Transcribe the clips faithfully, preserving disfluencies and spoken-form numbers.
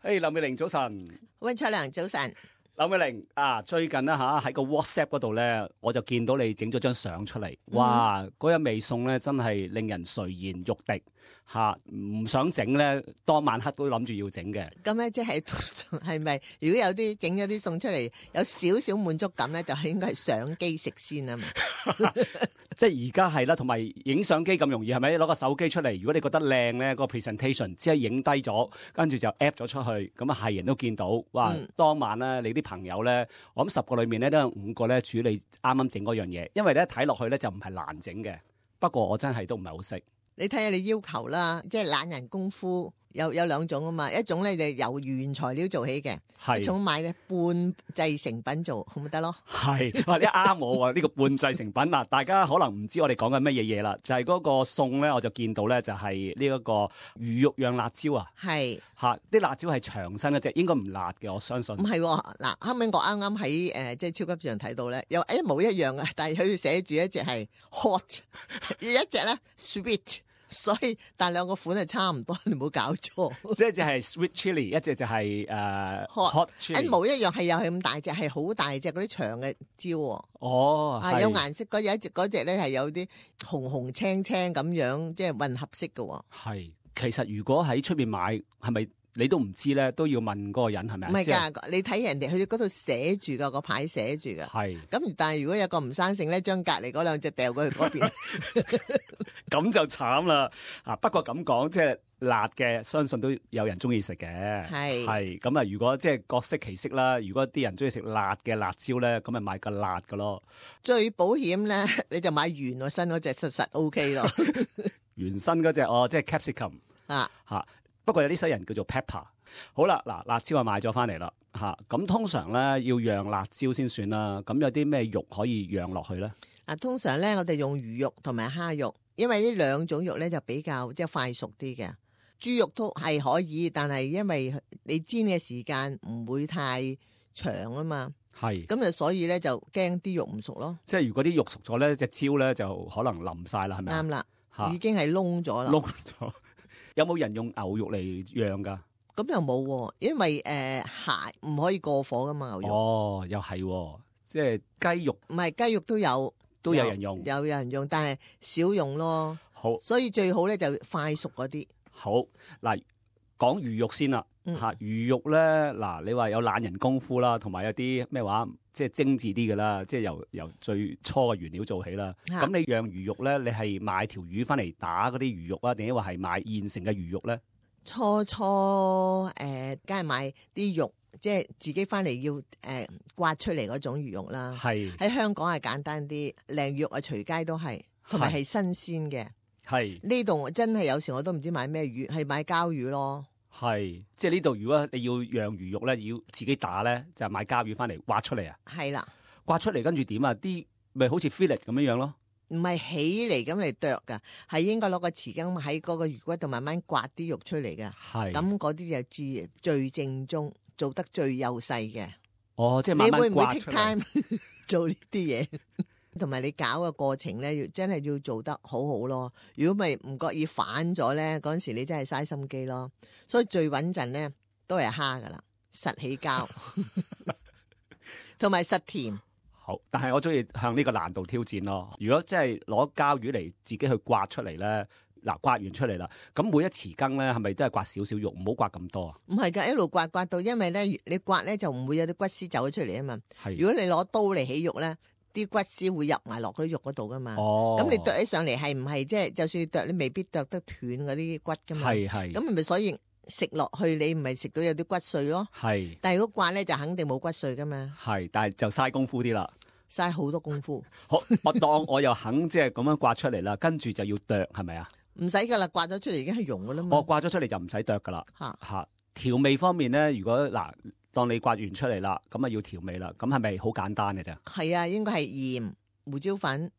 嘿，劉美玲早晨，溫卓良早晨。劉美玲啊，最近咧吓喺個 WhatsApp 嗰度咧，我就見到你整咗張相出嚟，哇！嗰日味餸咧真係令人垂涎欲滴吓，唔想整咧，當晚黑都諗住要整嘅。咁咧即係係咪？如果有啲整咗啲餸出嚟，有少少滿足感咧，就係應該係相機食先啊嘛。即係而家係啦，同埋影相機咁容易係咪？攞個手機出嚟，如果你覺得靚咧，個 presentation 只係影低咗，跟住就 app 咗出去，咁啊係人都見到。哇！嗯、當晚咧，你啲朋友咧，我諗十個裏面咧都有五個咧處理啱啱整嗰樣嘢，因為咧睇落去咧就唔係難整嘅。不過我真係都唔係好識。你睇下你要求啦，即係懶人功夫有有兩種啊嘛，一種咧就由原材料做起嘅，一種買咧半製成品做，咁咪得咯。係，哇！你啱我喎，呢個半製成品嗱，大家可能唔知我哋講緊乜嘢嘢啦，就係、是、嗰個餸咧，我就見到咧就係呢一個魚肉釀辣椒啊，係嚇啲辣椒係長身一隻，應該唔辣嘅，我相信。唔係嗱，後尾我啱啱喺誒即係超級市場睇到咧，有一模一樣嘅，但係佢寫住一隻係 hot， 一隻咧 sweet。所以，但兩個款係差唔多，你唔好搞錯。即係一隻係 sweet chili， 一隻就係、是、誒、uh, hot, hot chili。一模一樣係又係咁大隻，係好大隻嗰啲長嘅椒。哦，啊有顏色嗰有一隻嗰隻咧係有啲紅紅青青咁樣，即係混合色嘅。係，其實如果喺出邊買，係咪你都唔知咧？都要問嗰個人係咪？唔係㗎，是你睇人哋佢嗰度寫住㗎，個牌寫住㗎。係。咁但係如果有個唔生性咧，將隔離嗰兩隻掉過去嗰邊。咁就慘啦！啊，不過咁講，即係辣嘅，相信都有人中意食嘅。係係咁啊！如果即係各色其色啦，如果啲人中意食辣嘅辣椒咧，咁咪買個辣嘅咯。最保險咧，你就買原個身嗰隻，實實 O K 咯。原身嗰隻哦，即係 capsicum 啊嚇。不過有啲西人叫做 pepper。好啦，嗱，辣椒啊買咗翻嚟啦嚇。咁通常咧要釀辣椒先算啦。咁有啲咩肉可以釀落去咧？啊，通常咧我哋用魚肉同埋蝦肉。因為呢兩種肉咧就比較即係快熟啲嘅，豬肉都係可以，但係因為你煎嘅時間唔會太長啊嘛，係咁就所以咧就驚啲肉唔熟咯。即係如果啲肉熟咗咧，隻椒咧就可能腍晒啦，係咪？啱啦，嚇已經係燶咗啦。燶咗，有冇人用牛肉嚟釀㗎？咁又冇，因為誒蟹唔可以過火噶嘛，牛肉。哦，又係，即係雞肉，唔係雞肉都有。都有人用，有有人用，但係少用咯。好，所以最好咧就快熟嗰啲。好嗱，講魚肉先啦嚇、嗯，魚肉咧嗱，你話有懶人功夫啦，同埋有啲咩話，即係精緻啲嘅啦，即係由由最初嘅原料做起啦。咁你釀魚肉咧，你係買條魚翻嚟打嗰啲魚肉啊，定係話係買現成嘅魚肉咧？初初誒，梗、呃、係買啲肉。即係自己翻嚟要誒、呃、刮出嚟嗰種魚肉啦，係喺香港係簡單啲，靚魚肉啊隨街都係，同埋係新鮮嘅。係呢度真係有時我都唔知買咩魚，係買膠魚咯。係即係呢度如果你要釀魚肉咧，要自己打咧，就係買膠魚翻嚟刮出嚟啊。係啦，刮出嚟跟住點啊？啲咪好似 fillet 咁樣樣咯。唔係起嚟咁嚟剁噶，係應該攞個匙羹喺嗰個魚骨度慢慢刮啲肉出嚟嘅。係咁嗰啲就最最正宗。做得最幼細嘅，哦，即係慢慢刮出嚟。你會唔會 take time 做呢啲嘢？同埋你搞嘅過程咧，要真係要做得好好咯。如果咪唔覺意反咗咧，嗰陣時你真係嘥心機咯。所以最穩陣咧都係蝦噶啦，實起膠，同埋實甜。好，但係我中意向呢個難度挑戰咯。如果真係攞膠魚嚟自己去刮出嚟咧。嗱，刮完出嚟啦，咁每一匙羹咧，係咪都係刮少少肉，唔好刮咁多啊？唔係噶，一路刮刮到，因為咧，你刮咧就唔會有啲骨絲走咗出嚟啊嘛。係，如果你攞刀嚟起肉咧，啲骨絲會入埋落嗰啲肉嗰度噶嘛。哦，咁你剁起上嚟係唔係即係，就算你剁，你未必剁得斷嗰啲骨噶嘛。係係，咁咪所以食落去你唔係食到有啲骨碎咯。係，但係如果刮咧就肯定冇骨碎噶嘛。係，但係就嘥功夫啲啦。嘥好多功夫。好，我當我又肯即係咁樣刮出嚟啦，跟住就要剁，係咪啊？唔使噶啦，刮咗出嚟已經係溶噶啦嘛。我刮咗出嚟就唔使剁噶啦。吓吓，調味方面咧，如果嗱，當你刮完出嚟啦，咁啊要調味啦，咁係咪好簡單嘅啫？係啊，應該係鹽、胡椒粉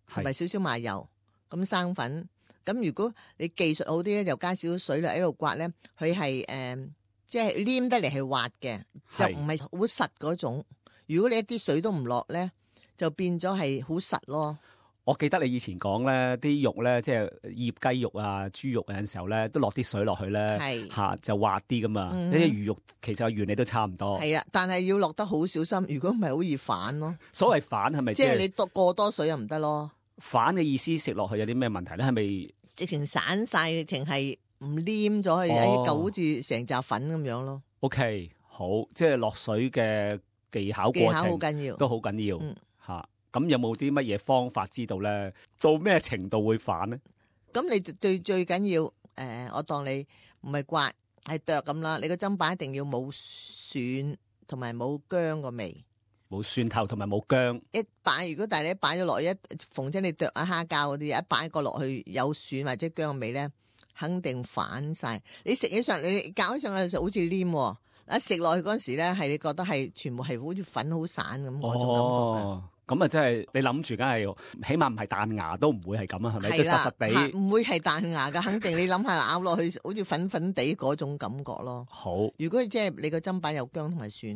同埋少少麻油，咁生粉。咁如果你技術好啲咧，就加少少水落喺度刮咧，佢係誒，即係黏得嚟係滑嘅，就唔係好實嗰種。如果你一啲水都唔落咧，就變咗係好實咯。我記得你以前講咧，啲肉咧，即係醃雞肉啊、豬肉有陣時候咧，都落啲水落去咧，嚇、啊、就滑啲噶嘛。呢啲、嗯、魚肉其實原理都差唔多。係啊，但係要落得好小心，如果唔係好易反咯。所謂反係咪即係你多過多水又唔得咯？反嘅意思食落去有啲咩問題咧？係咪直情散晒，直情係唔黏咗，係一嚿好似成紮粉咁樣咯。OK，好，即係落水嘅技巧過程，技巧好緊要，都好緊要嚇。嗯咁有冇啲乜嘢方法知道咧？到咩程度會反咧？咁你最最緊要誒、呃，我當你唔係刮係剁咁啦。你個砧板一定要冇蒜同埋冇薑個味，冇蒜頭同埋冇薑。一擺如果但係你一擺咗落去，一逢親你剁下蝦膠嗰啲，一擺個落去有蒜或者薑個味咧，肯定反晒。你食起上你搞起上去就好似黏，一食落去嗰陣時咧，係你覺得係全部係好似粉好散咁嗰種感覺嘅。哦咁啊，真係你諗住，梗係起碼唔係彈牙都唔會係咁啊，係咪？即係實實地，唔會係彈牙㗎，肯定。你諗下咬落去，好似粉粉地嗰種感覺咯。好，如果即係你個砧板有薑同埋蒜，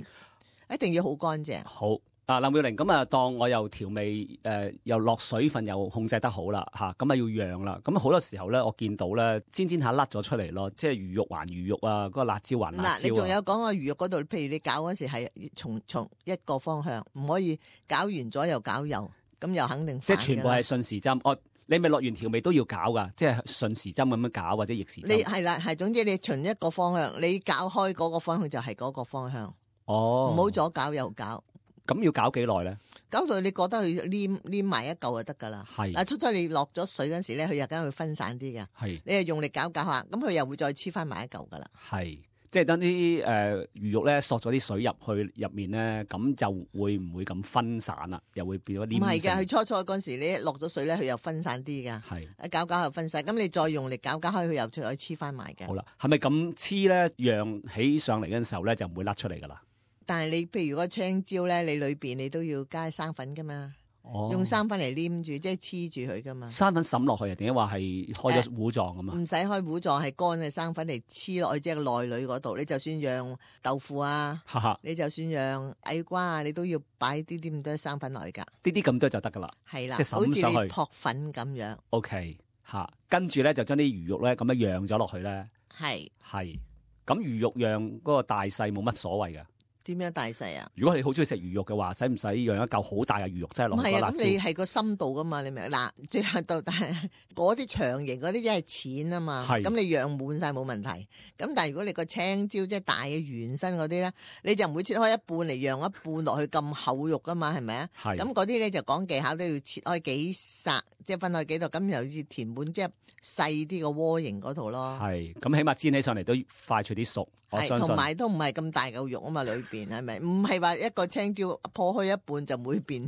一定要好乾淨。好。啊，林妙玲，咁啊，當我又調味，誒、呃，又落水分又控制得好啦，吓，咁啊要釀啦。咁好多時候咧，我見到咧煎煎下甩咗出嚟咯，即係魚肉還魚肉啊，嗰、那個辣椒還辣椒啊。嗱，你仲有講個魚肉嗰度，譬如你搞嗰時係從從一個方向，唔可以搞完咗又搞油，咁又肯定即係全部係順時針。哦，你咪落完調味都要搞噶，即係順時針咁樣搞或者逆時針。你係啦，係總之你循一個方向，你搞開嗰個方向就係嗰個方向。哦，唔好左搞右搞。咁要搞幾耐咧？搞到你覺得佢黏黏埋一嚿就得噶啦。係嗱，初初你落咗水嗰時咧，佢又梗會分散啲嘅。係，你又用力搞搞下，咁佢又會再黐翻埋一嚿噶啦。係，即係等啲誒魚肉咧索咗啲水入去入面咧，咁就會唔會咁分散啦？又會變咗黏。唔係嘅，佢初初嗰時你落咗水咧，佢又分散啲噶。係，一搞搞又分散，咁你再用力搞搞開，佢又再黐翻埋嘅。好啦，係咪咁黐咧？揚起上嚟嗰陣時候咧，就唔會甩出嚟噶啦。但係你譬如個青椒咧，你裏邊你都要加生粉噶嘛，哦、用生粉嚟黏住，即係黐住佢噶嘛。生粉滲落去啊？點解話係開咗糊狀咁啊？唔使開糊狀，係乾嘅生粉嚟黐落去即係內裏嗰度。你就算釀豆腐啊，哈哈你就算釀矮瓜啊，你都要擺啲啲咁多生粉落去噶。啲啲咁多就得噶啦。係啦，即係滲上去，好似你撲粉咁樣。O K，吓，跟住咧就將啲魚肉咧咁樣釀咗落去咧。係係，咁魚肉釀嗰個大細冇乜所謂嘅。點樣大細啊？如果你好中意食魚肉嘅話，使唔使釀一嚿好大嘅魚肉真係落去？唔係啊，咁你係個深度噶嘛？你明嗱，最後到但係嗰啲長形嗰啲真係淺啊嘛。咁你釀滿晒冇問題。咁但係如果你個青椒即係大嘅圓身嗰啲咧，你就唔會切開一半嚟釀一半落去咁厚肉噶嘛？係咪啊？咁嗰啲咧就講技巧，都要切開幾剎，即係分開幾度，咁又好似填滿即係細啲個鍋形嗰度咯。係，咁起碼煎起上嚟都快脆啲熟。我相信同埋都唔係咁大嚿肉啊嘛，裏邊係咪？唔係話一個青椒破開一半就唔會變。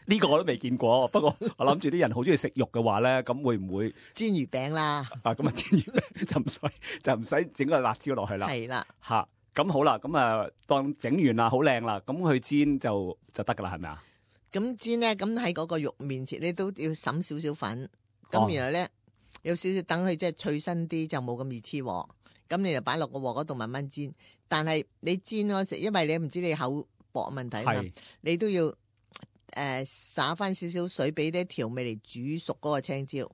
呢個我都未見過，不過我諗住啲人好中意食肉嘅話咧，咁會唔會煎魚餅啦？啊，咁啊煎魚餅就唔使就唔使整個辣椒落去啦。係啦，吓咁好啦，咁啊當整完啦，好靚啦，咁去煎就就得噶啦，係咪啊？咁煎咧，咁喺嗰個肉面前，你都要灑少少粉，咁然後咧有少少等佢即係脆身啲，就冇咁易黐鑊。咁你就擺落個鑊嗰度慢慢煎，但係你煎嗰時，因為你唔知你口薄問題嘛，你都要誒灑翻少少水俾啲調味嚟煮熟嗰個青椒。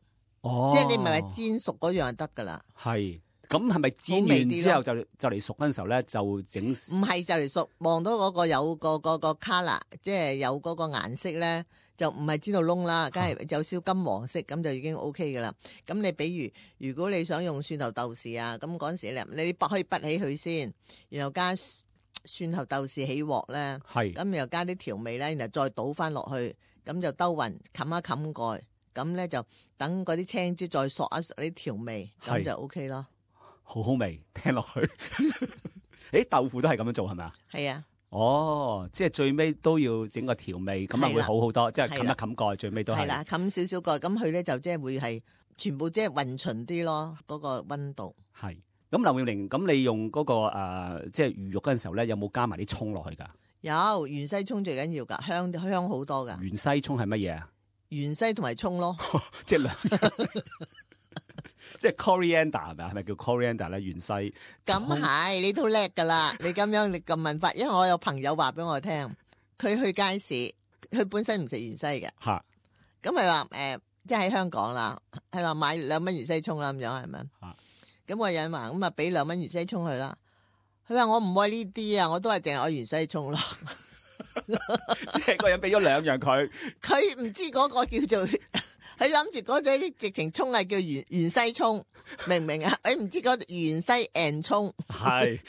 哦，即係你唔係話煎熟嗰樣就得噶啦。係，咁係咪煎完之後就就嚟熟嗰陣時候咧就整？唔係就嚟熟，望到嗰個有個嗰個 color，即係有嗰個顏色咧。就唔係煎到燶啦，梗係有少金黃色，咁就已經 O K 噶啦。咁你比如如果你想用蒜頭豆豉啊，咁嗰陣時咧，你不可以滗起佢先，然後加蒜頭豆豉起鑊咧，咁又加啲調味咧，然後再倒翻落去，咁就兜勻，冚一冚蓋，咁咧就等嗰啲青椒再索一索啲調味，咁就 O K 咯。好好味，聽落去。誒，豆腐都係咁樣做係咪啊？係啊。哦，即係最尾都要整個調味，咁啊會好好多，即係冚一冚蓋，最尾都係。係啦，冚少少蓋，咁佢咧就即係會係全部即係勻循啲咯，嗰個溫度。係，咁劉妙玲，咁你用嗰個誒，即係魚肉嗰陣時候咧，有冇加埋啲蔥落去噶？有，芫茜蔥最緊要噶，香香好多噶。芫茜蔥係乜嘢啊？芫茜同埋蔥咯，即係兩。即係 coriander 係咪啊？係咪叫 coriander 咧？芫茜咁係，你都叻噶啦！你咁樣你咁問法，因為我有朋友話俾我聽，佢去街市，佢本身唔食芫茜嘅，吓，咁佢話誒，即係喺香港啦，係話買兩蚊芫茜葱啦咁樣係咪？咁我有人話咁啊，俾兩蚊芫茜葱佢啦。佢話我唔愛呢啲啊，我都係淨係愛芫茜葱咯。即係個人俾咗兩樣佢，佢唔知嗰個叫做，佢諗住嗰隻直情葱係叫芫芫茜葱，明唔明啊？佢唔知嗰芫茜 and 葱係。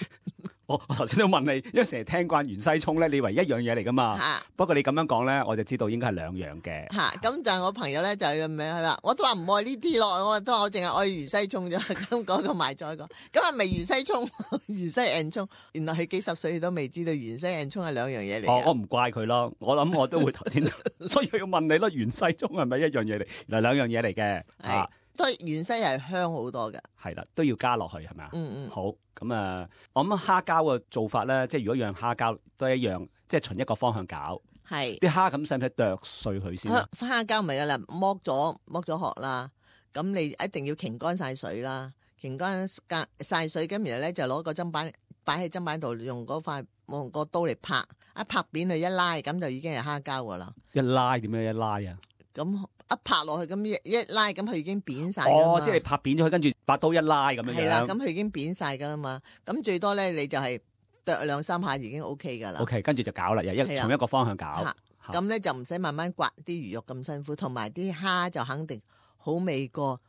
我我頭先都問你，因為成日聽慣芫茜葱咧，你以為一樣嘢嚟噶嘛？啊、不過你咁樣講咧，我就知道應該係兩樣嘅。吓、啊，咁就係我朋友咧就係咁樣，佢話我都話唔愛呢啲咯，我都話我淨係愛芫茜葱啫。咁嗰個賣咗一個，咁係咪芫茜葱、芫茜 and 葱？原來佢幾十歲都未知道芫茜 and 葱係兩樣嘢嚟。我唔怪佢咯，我諗我都會頭先，所以要問你咯，芫茜葱係咪一樣嘢嚟？原來兩樣嘢嚟嘅。係。都係芫茜係香好多嘅，係啦，都要加落去係咪啊？嗯嗯。好，咁啊，我諗蝦膠嘅做法咧，即係如果養蝦膠都一樣，即係循一個方向搞。係。啲蝦咁使唔使剁碎佢先？蝦膠咪噶啦，剝咗剝咗殼啦，咁你一定要擎乾晒水啦，擎乾晒水，咁然後咧就攞個砧板擺喺砧板度，用嗰塊用個刀嚟拍，一拍扁佢一拉，咁就已經係蝦膠噶啦。一拉點樣一拉啊？咁。一拍落去咁一拉，咁佢已經扁晒。哦，即係拍扁咗佢，跟住把刀一拉咁樣。係啦，咁佢已經扁晒噶啦嘛。咁最多咧，你就係剁兩三下已經 O K 噶啦。O K，跟住就搞啦，又一從一個方向搞。咁咧就唔使慢慢刮啲魚肉咁辛苦，同埋啲蝦就肯定好味過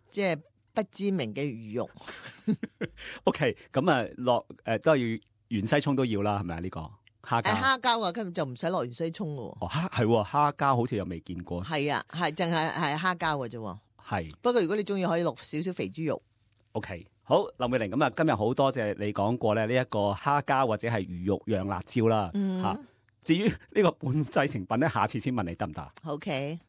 即係不知名嘅魚肉。O K，咁啊落誒都係要芫茜葱都要啦，係咪啊呢個？蝦膠，蝦膠啊，根本就唔使落芫茜葱嘅。哦，蝦係蝦膠，好似又未見過。係啊，係淨係係蝦膠嘅啫。係。不過如果你中意，可以落少少肥豬肉。O K，好，林美玲，咁啊，今日好多謝你講過咧呢一個蝦膠或者係魚肉釀辣椒啦。吓、嗯，至於呢個半製成品咧，下次先問你得唔得？ OK。